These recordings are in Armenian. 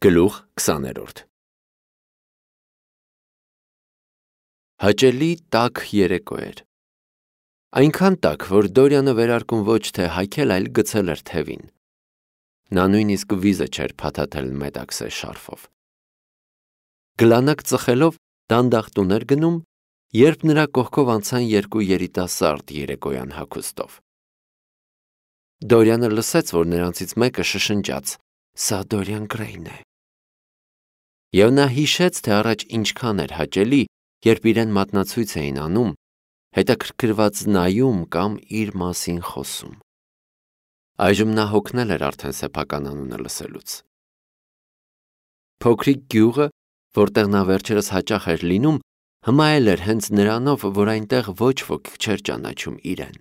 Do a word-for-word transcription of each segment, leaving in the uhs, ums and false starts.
Գլուխ քսաներորդ Հաճելի տաք երեկո էր։ Այնքան տաք, որ Դորյանը վերարկուն ոչ թե հայքել, այլ գցել էր թևին։ Նա նույնիսկ վիզը չէր փաթաթել մետաքսե շարֆով։ Գլանակ ծխելով դանդաղ տուն էր գնում, երբ նրա կողքով անցան երկու երիտասարդ երեկոյան հագուստով։ Դորյանը լսեց, որ նրանցից մեկը շշնջաց. «Սա Դորյան Գրեյն է»։ Եվ նա հիշեց, թե առաջ ինչքան էր հաճելի, երբ իրեն մատնացույց էին անում, հետաքրքրված նայում կամ իր մասին խոսում։ Այժմ նա հոգնել էր արդեն սեփական անունը լսելուց։ Փոքրիկ գյուղը, որտեղ նա վերջերս հաճախ էր լինում, հմայել էր հենց նրանով, որ այնտեղ ոչ ոք չէր ճանաչում իրեն։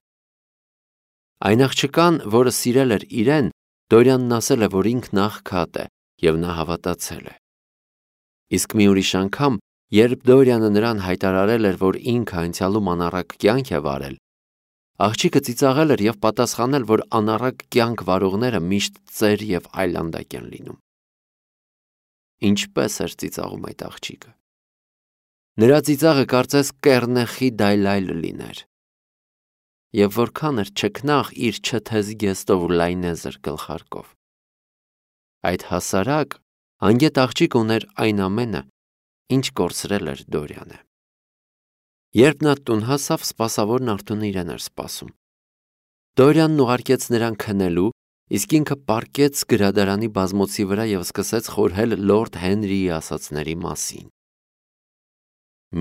Այն աղջկան, որը սիրել էր իրեն, Դորյանն ասել է, որ ինքն աղքատ է, և նա հավատացել է։ Իսկ մի ուրիշ անգամ, երբ Դորյանը նրան հայտարարել էր, որ ինքը անցյալում անառակ կյանք է վարել, աղջիկը ծիծաղել էր և պատասխանել, որ անառակ կյանք վարողները միշտ ծեր և այլանդակ են լինում։ Ինչպես էր ծիծաղում այդ աղջիկը։ Նրա ծիծաղը կարծես կեռնեխի դայլայլ լիներ։ Եվ որքան էր չքնաղ իր չթեզ գեստով ու լայնեզր գլխարկով։ Այդ հասարակ, անգետ աղջիկը ուներ այն ամենը, ինչ կորցրել էր Դորյանը։ Երբ նա տուն հասավ, սպասավորն արդեն իրեն էր սպասում։ Դորյանն ուղարկեց նրան քնելու, իսկ ինքը պառկեց գրադարանի բազմոցի վրա և սկսեց խորհել լորդ Հենրիի ասածների մասին։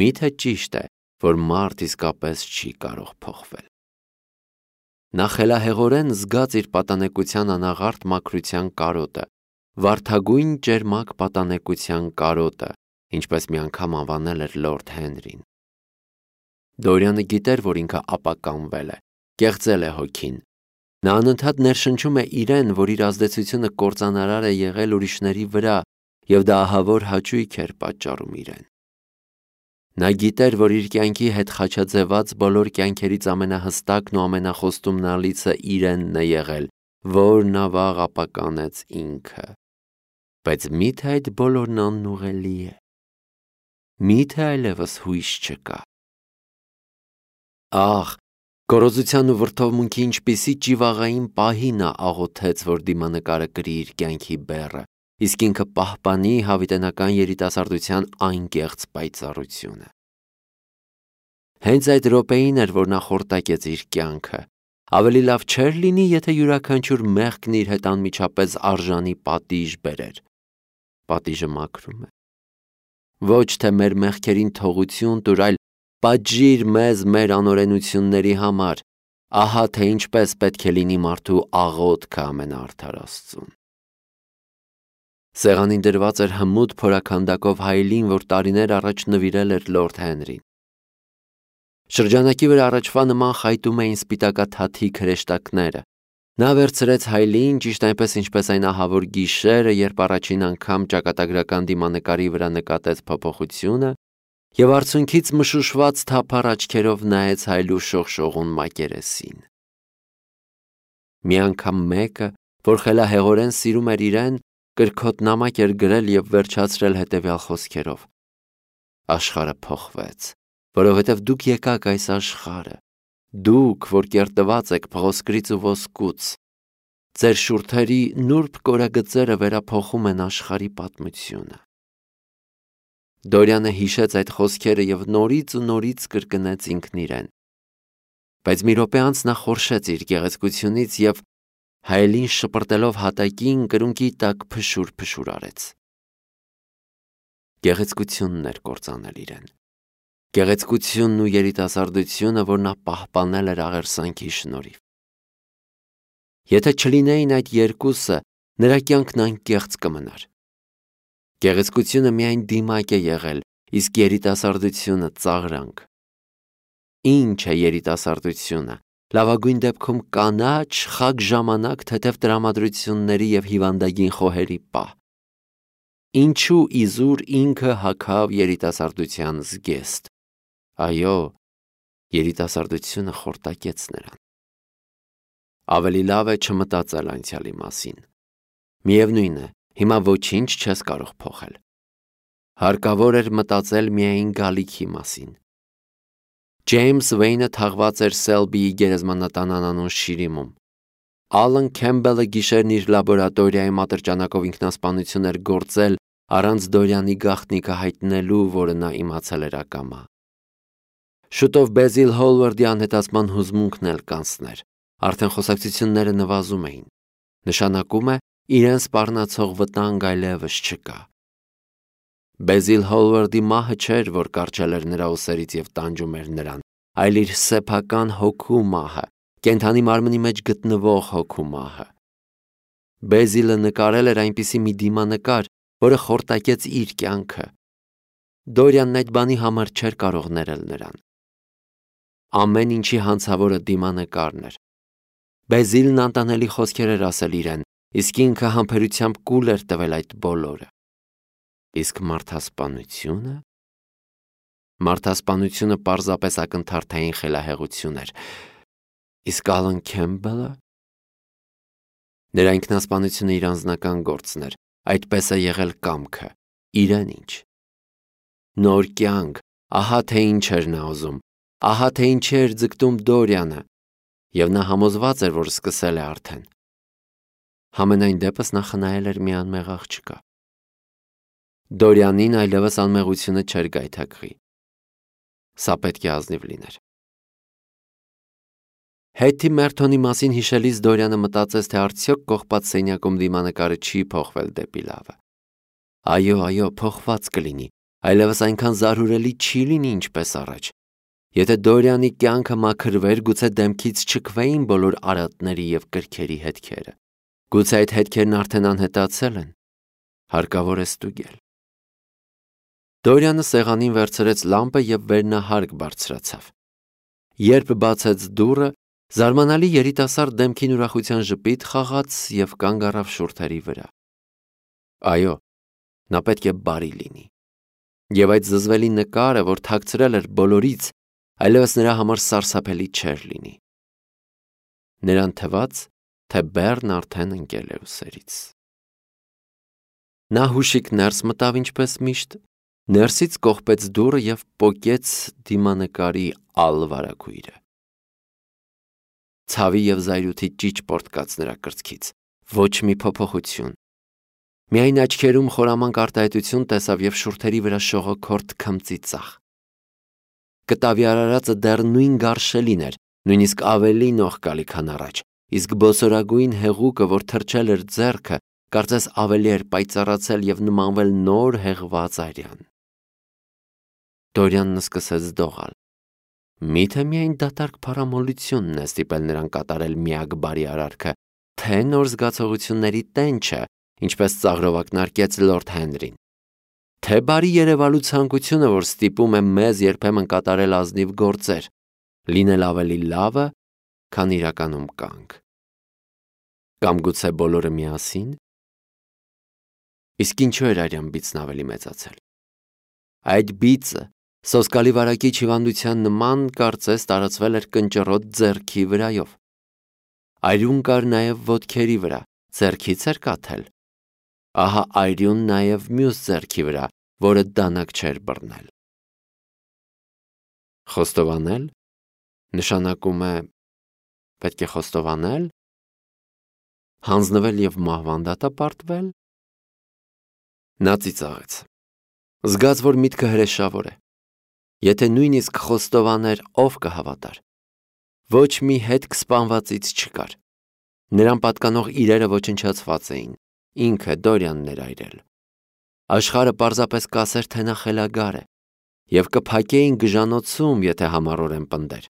Միթե ճիշտ է, որ մարդ իսկապես չի կարող փոխվել։ Նա խելահեղորեն զգաց իր պատանեկության անաղարտ մաքրության կարոտը, վարդագույն ճերմակ պատանեկության կարոտը, ինչպես մի անգամ անվանել էր լորդ Հենրին։ Դորյանը գիտեր, որ ինքը ապականվել է, կեղծել է հոգին։ Նա անընդհատ ներշնչում է իրեն, որ իր ազդեցությունը կործանարար է եղել ուրիշների վրա, և դա ահավոր հաճույք էր պատճառում իրեն։ Նա գիտեր, որ իր կյանքի հետ խաչաձևած բոլոր կյանքերից ամենահստակն ու ամենախոստումնալիցը իրենն է եղել, որն ավաղ ապականեց ինքը։ Բայց մի՞թե այդ բոլորն անուղելի է։ Մի՞թե այլևս հույս չկա։ Ահ, գոռոզության ու վրդովմունքի ինչպիսի ճիվաղային պահի նա աղոթեց, որ դիմանկարը կրի իր կյանքի բեռը, իսկ ինքը պահպանի հավիտենական երիտասարդության անկեղծ պայծառությունը։ Հենց այդ րոպեին էր, որ նա խորտակեց իր կյանքը։ Ավելի լավ չէր լինի, եթե յուրաքանչյուր մեղքն իր հետ անմիջապես արժանի պատիժ բերեր։ Պատիժը մաքրում է։ Ոչ թե մեր մեղքերին թողություն տուր, այլ պատժիր մեզ մեր անօրենությունների համար, ահա թե ինչպես պետք է լինի մարդու աղոթքը ամենաարդար Աստծուն։ Սեղանին դրված էր հմուտ փորաքանդակով հայելին, որ տարիներ առաջ նվիրել էր լորդ Հենրին։ Շրջանակի վրա առաջվա նման խայտում էին սպիտակաթաթի քրեշտակները։ Նա վերցրեց հայելին, ճիշտ այնպես, ինչպես այն ահավոր գիշերը, երբ առաջին անգամ ճակատագրական դիմանկարի վրա նկատեց փոփոխությունը, և արցունքից մշուշված թափառ աչքերով նայեց հայելու շողշողուն մակերեսին։ Մի անգամ մեկը, որ խելահեղորեն սիրում էր իրեն, կրքոտ նամակ էր գրել և վերջացրել հետևյալ խոսքերով. «Աշխարհը փոխվեց, որովհետև դուք եկաք այս աշխարհը, դուք, որ կերտված եք փղոսկրից ու ոսկուց, ձեր շուրթերի նուրբ կորագծերը վերափոխում են աշխարհի պատմությունը»։ Դորյանը հիշեց այդ խոսքերը և նորից ու նորից կրկնեց ինքն իրեն։ Բայց մի րոպե անց նա խորշեց իր գեղեցկությունից և հայելին շպրտելով հատակին կրունկի տակ փշուր-փշուր արեց։ Գեղեցկությունն էր կործանել իրեն։ Գեղեցկությունն ու երիտասարդությունը, որ նա պահպանել էր աղերսանքի շնորհիվ։ Եթե չլինեին այդ երկուսը, նրա կյանքն անկեղծ կմնար։ Գեղեցկությունը միայն դիմակ է եղել, իսկ երիտասարդությունը ծաղրանք։ Ինչ է երիտասարդությունը։ Լավագույն դեպքում կանաչ, խագ ժամանակ, թեթև տրամադրությունների և հիվանդագին խոհերի պահ։ Ինչու իզուր ինքը հագավ երիտասարդության զգեստ։ Այո, երիտասարդությունը խորտակեց նրան։ Ավելի լավ է չմտածել անցյալի մասին։ Միևնույն է, Հիմա ոչինչ չես կարող փոխել։ Հարկավոր էր մտածել միայն գալիքի մասին։ Ջեյմս Վեյնը թաղված էր Սելբիի գերեզմանատան անանուն շիրիմում։ Ալեն Քեմբելը գիշերն իր լաբորատորիայում ատրճանակով ինքնասպանություն էր գործել առանց Դորյանի գաղտնիքը հայտնելու, որը նա իմացել էր ակամա։ Շուտով Բեզիլ Հոլվարդի անհետացման հուզմունքն էլ կանցներ։ Արդեն խոսակցությունները նվազում էին։ Նշանակում է, իրեն սպառնացող վտանգ այլևս չկա։ Բեզիլ Հոլվարդի մահը չէր, որ կարճել էր նրա ուսերից և տանջում էր նրան, այլ իր սեփական հոգու մահը, կենդանի մարմնի մեջ գտնվող հոգու մահը։ Բեզիլը նկարել էր այնպիսի մի դիմանկար, որը խորտակեց իր կյանքը։ Դորյանն այդ բանի համար չէր կարող ներել նրան։ Ամեն ինչի հանցավորը դիմանկարն էր։ Բեզիլն անտանելի խոսքեր էր ասել իրեն, իսկ ինքը համբերությամբ կուլ էր տվել այդ բոլորը։ Իսկ մարդասպանությունը… Մարդասպանությունը պարզապես ակնթարթային խելահեղություն էր։ Իսկ Ալեն Քեմբելը… Նրա ինքնասպանությունը իր անձնական գործն էր, այդպես է եղել կամքը, իրեն ինչ։ Նոր կյանք, ահա թե ինչ էր նա ուզում, ահա թե ինչի էր ձգտում Դորյանը, և նա համոզված էր, որ սկսել է արդեն։ Համենայն դեպս նա խնայել էր մի անմեղ աղջկա։ Դորյանին այլևս անմեղությունը չէր գայթակղի։ Սա պետք է ազնիվ լիներ։ Հետի Մերթոնի մասին հիշելիս Դորյանը մտածեց, թե արդյոք կողպած սենյակում դիմանկարը չի փոխվել դեպի լավը։ Այո, այո, փոխված կլինի, այլևս այնքան զարհուրելի չի լինի, ինչպես առաջ։ Եթե Դորյանի կյանքը մաքրվեր, գուցե դեմքից չքվեին բոլոր արատների և կրքերի հետքերը։ Գուցե այդ հետքերն արդեն անհետացել են։ Հարկավոր է ստուգել։ Դորյանը սեղանին վերցրեց լամպը և վերնահարկ բարձրացավ։ Երբ բացեց դուռը, զարմանալի երիտասարդ դեմքին ուրախության ժպիտ խաղաց և կանգ առավ շուրթերի վրա։ Այո, նա պետք է բարի լինի։ Եվ այդ զզվելի նկարը, որ թաքցրել էր բոլորից, այլևս նրա համար սարսափելի չէր լինի։ Նրան թվաց, թե բեռն արդեն ընկել է ուսերից։ Նա հուշիկ ներս մտավ ինչպես միշտ, ներսից կողպեց դուռը և պոկեց դիմանկարի ալ-վարագույրը։ Ցավի և զայրույթի ճիճ պոռթկաց նրա կրծքից, ոչ մի փոփոխություն։ Միայն աչքերում խորամանկ արտահայտություն տեսավ և շուրթերի վրա շողոքորթ քմծի ծախ։ Կտավի արարածը դեռ նույն գարշելին էր, նույնիսկ ավելի նողկալի, քան առաջ, իսկ բոսորագույն հեղուկը, որ թրջել էր ձեռքը, կարծես ավելի էր պայծառացել և նմանվել նոր հեղված արյան։ Դորյանն սկսեց դողալ։ Մի՞թե միայն դատարկ փառամոլությունն է ստիպել նրան կատարել միակ բարի արարքը, թե նոր զգացողությունների տենչը, ինչպես ծաղրով ակնարկեց լորդ Հենրին, թե բարի երևալու ցանկությունը, որ ստիպում է մեզ երբեմն կատարել ազնիվ գործեր, լինել ավելի լավը, քան իրականում կանք։ Կամ գուցե բոլորը միասին։ Իսկ ինչու էր արյան բիծն ավելի մեծացել։ Այդ բիծը սոսկալի վարակիչ հիվանդության նման կարծես տարածվել էր կնճռոտ ձեռքի վրայով։ Այրուն կար նաև ոտքերի վրա, ձեռքից էր կաթել։ Ահա այրուն նաև մյուս ձեռքի վրա, որը դանակ չէր բռնել։ Խոստովանել նշանակում է պետք է խոստովանել, հանձնվել և մահվան դատապարտվել։ Նա ծիծաղեց։ Զգաց, որ միտքը հրեշավոր է։ Եթե նույնիսկ խոստովաներ, ով կհավատար։ Ոչ մի հետք սպանվածից չկար։ Նրան պատկանող իրերը ոչնչացված էին, ինքը Դորյանն էր այրել։ Աշխարհը պարզապես կասեր, թե նա խելագար է, և կփակեին գժանոցում, եթե համառորեն պնդեր։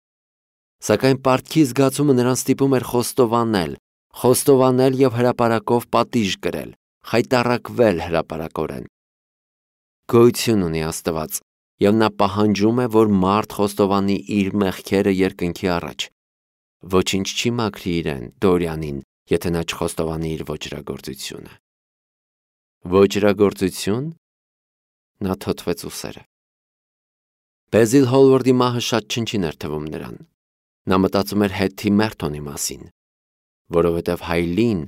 Սակայն պարտքի զգացումը նրան ստիպում էր խոստովանել, խոստովանել և հրապարակով պատիժ կրել, խայտառակվել հրապարակորեն։ Գոյություն ունի Աստված, և նա պահանջում է, որ մարդ խոստովանի իր մեղքերը երկնքի առաջ։ Ոչինչ չի մաքրի իրեն, Դորյանին, եթե նա չխոստովանի իր ոճրագործությունը։ Ոճրագործություն։ Նա թոթվեց ուսերը։ Բեզիլ Հոլվարդի մահը շատ չնչին էր թվում նրան։ Նա մտածում էր Հետի Մերթոնի մասին, որովհետև Հայլին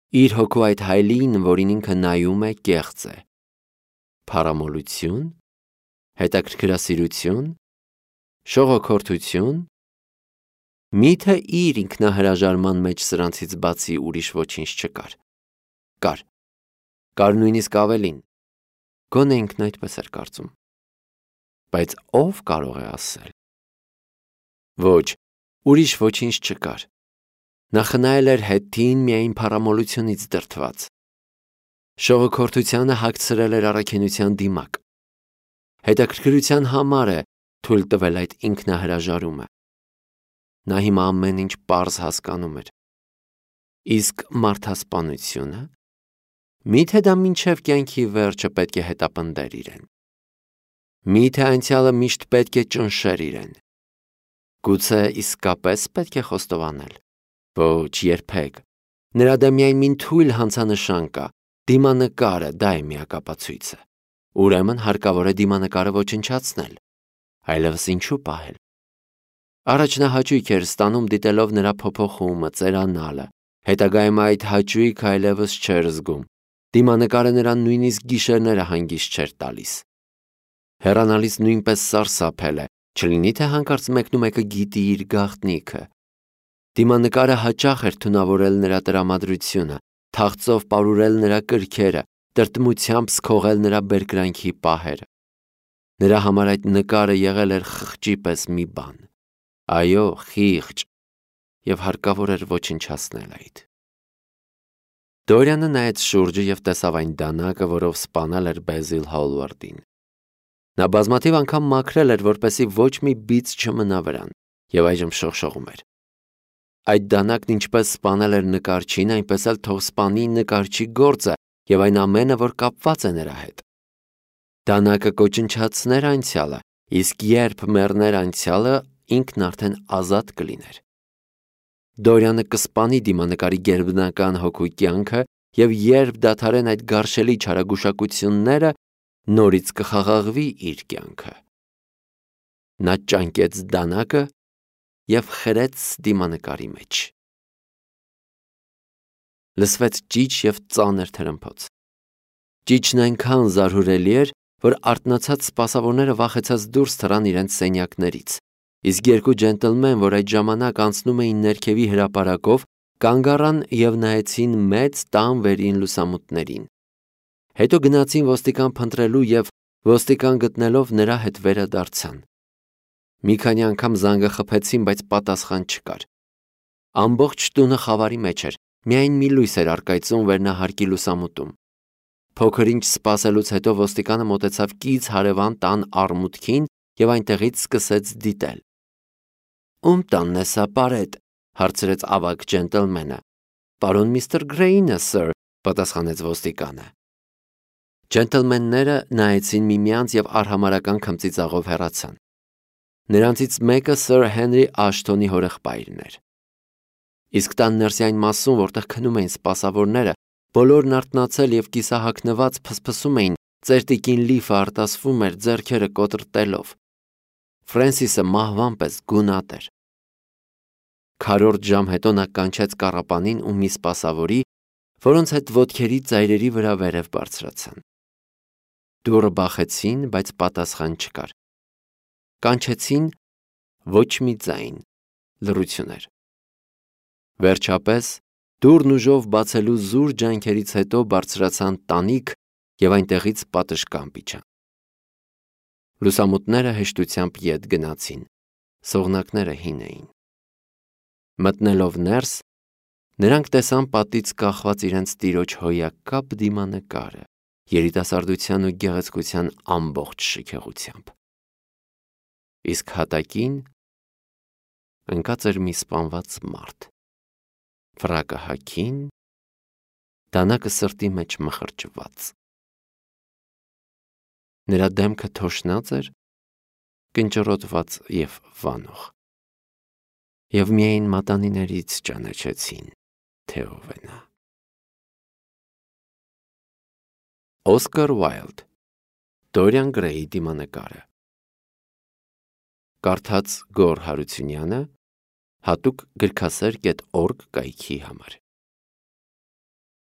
Իր հոգու այդ հայլին, որին ինքը նայում է, կեղծ է։ Փառամոլություն, հետաքրքրասիրություն, շողոքորթություն, միթե իր ինքնահրաժարման մեջ սրանցից բացի ուրիշ ոչինչ չկար։ Կար, կար նույնիսկ ավելին, գոնե ինքն այդպես էր կարծում։ Բայց ով կարող է ասել։ Ոչ, ուրիշ ոչինչ չկար։ Նա խնայել էր հետին միայն փառամոլությունից դրդված։ Շողոքորթությանը հագցրել էր առաքինության դիմակ։ Հետաքրքրության համար է թույլ տվել այդ ինքնահրաժարումը։ Նա հիմա ամեն ինչ պարզ հասկանում էր։ Իսկ մարդասպանությունը, միթե դա մինչև կյանքի վերջը պետք է հետապնդեր իրեն։ Միթե անցյալը միշտ պետք է ճնշեր իրեն։ Գուցե իսկապես պետք է խոստովանել։ Ոչ, երբեք։ Նրա դեմ միայն մին թույլ հանցանշան կա, դիմանկարը, դա է միակապացույցը։ Ուրեմն հարկավոր է դիմանկարը ոչնչացնել, այլևս ինչու պահել։ Առաջ նա հաճույք էր ստանում դիտելով նրա փոփոխումը, ծերանալը, հետագայում այդ հաճույքը այլևս չէր զգում, դիմանկարը նրան նույնիսկ գիշերները հանգիստ չէր տալիս։ Հեռանալիս նույնպես սարսափել է, չլինի թե հանկարծ մեկնումեկը գիտի իր գաղտնիքը։ Դիմանկարը հաճախ էր թունավորել նրա տրամադրությունը, թախծով պարուրել նրա կրքերը, տրտմությամբ սքողել նրա բերկրանքի պահերը։ Նրա համար այդ նկարը եղել էր խղճի պես մի բան։ Այո, խիղճ, և հարկավոր էր ոչնչացնել այդ։ Դորյանը նայեց շուրջը և տեսավ այն դանակը, որով սպանել էր Բեզիլ Հոլվարդին։ Նա բազմաթիվ անգամ մաքրել էր, որպեսզի ոչ մի բիծ չմնա վրան, և այժմ շողշողում էր։ Այդ դանակն ինչպես սպանել էր նկարչին, այնպես էլ թող սպանի նկարչի գործը և այն ամենը, որ կապված է նրա հետ։ Դանակը կոչնչացներ անցյալը, իսկ երբ մեռներ անցյալը, ինքն արդեն ազատ կլիներ։ Դորյանը կսպանի դիմանկարի գերբնական հոգու կյանքը, և երբ դադարեն այդ գարշելի չարագուշակությունները, նորից կխաղաղվի իր կյանքը։ Նա ճանկեց դանակը և խրեց դիմանկարի մեջ։ Լսվեց ճիչ և ծանր թրմփոց։ Ճիչն այնքան զարհուրելի էր, որ արթնացած սպասավորները վախեցած դուրս թռան իրենց սենյակներից, իսկ երկու ջենտլմեն, որ այդ ժամանակ անցնում էին ներքևի հրապարակով, կանգ առան և նայեցին մեծ տան վերին լուսամուտներին։ Հետո գնացին ոստիկան փնտրելու և ոստիկան գտնելով նրա հետ վերադարձան։ Մի քանի անգամ զանգը խփեցին, բայց պատասխան չկար։ Ամբողջ տունը խավարի մեջ էր, միայն մի լույս էր առկայծում վերնահարկի լուսամուտում։ Փոքր ինչ սպասելուց հետո ոստիկանը մոտեցավ կից հարևան տան առմուտքին և այնտեղից սկսեց դիտել։ Ում տանն է սա, պարետ, հարցրեց ավագ ջենտլմենը։ Պարոն միստր Գրեյինը, սըր, պատասխանեց ոստիկանը։ Ջենտլմենները նայեցին միմյանց և արհամարհական քմծիծաղով հեռացան։ Նրանցից մեկը սըր Հենրի Աշթոնի հորեղբայրն էր։ Իսկ տան ներսյայն մասում, որտեղ քնում էին սպասավորները, բոլորն արթնացել և կիսահագնված փսփսում էին, ծերտիկին լիֆը արտասվում էր ձեռքերը կոտրտելով։ Ֆրենսիսը մահվան պես գունատ էր։ Քառորդ ժամ հետո նա կանչեց կառապանին ու մի սպասավորի, որոնց հետ ոտքերի ծայրերի վրա վերև բարձրացան։ Դուռը բախեցին, բայց պատասխան չկար։ Կանչեցին, ոչ մի ձայն, լռություն էր։ Վերջապես դուռն ուժով բացելու զուր ջանքերից հետո բարձրացան տանիք և այնտեղից պատշգամբ իջան։ Լուսամուտները հեշտությամբ ետ գնացին, սողնակները հին էին։ Մտնելով ներս, նրանք տեսան պատից կախված իրենց տիրոջ հոյակապ դիմանկարը, երիտասարդության ու գեղեցկության ամբողջ շքեղությամբ։ Իսկ հատակին ընկած էր մի սպանված մարդ, ֆրակը հագին, դանակը սրտի մեջ մխրճված։ Նրա դեմքը թոշնած էր, կնճռոտված և վանող, և միայն մատանիներից ճանաչեցին, թե ով է նա։ Օսկար Ուայլդ, Դորիան Գրեյի դիմանկարը։ Կարդաց Գոռ Հարությունյանը, հատուկ գրքասեր կետ օրգ կայքի համար։